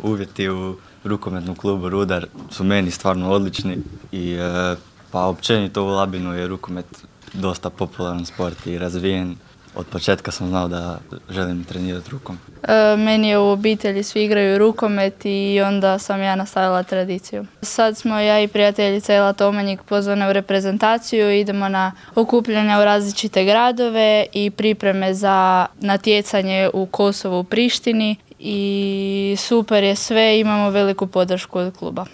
Uvjeti u rukometnom klubu Rudar su meni stvarno odlični i pa općenito u Labinu je rukomet dosta popularan sport i razvijen. Od početka sam znao da želim trenirati rukom. Meni je u obitelji svi igraju rukomet i onda sam ja nastavila tradiciju. Sad smo ja i prijateljica Ela Tomanjik pozvane u reprezentaciju, idemo na okupljanja u različite gradove i pripreme za natjecanje u Kosovu u Prištini i super je sve, imamo veliku podršku od kluba.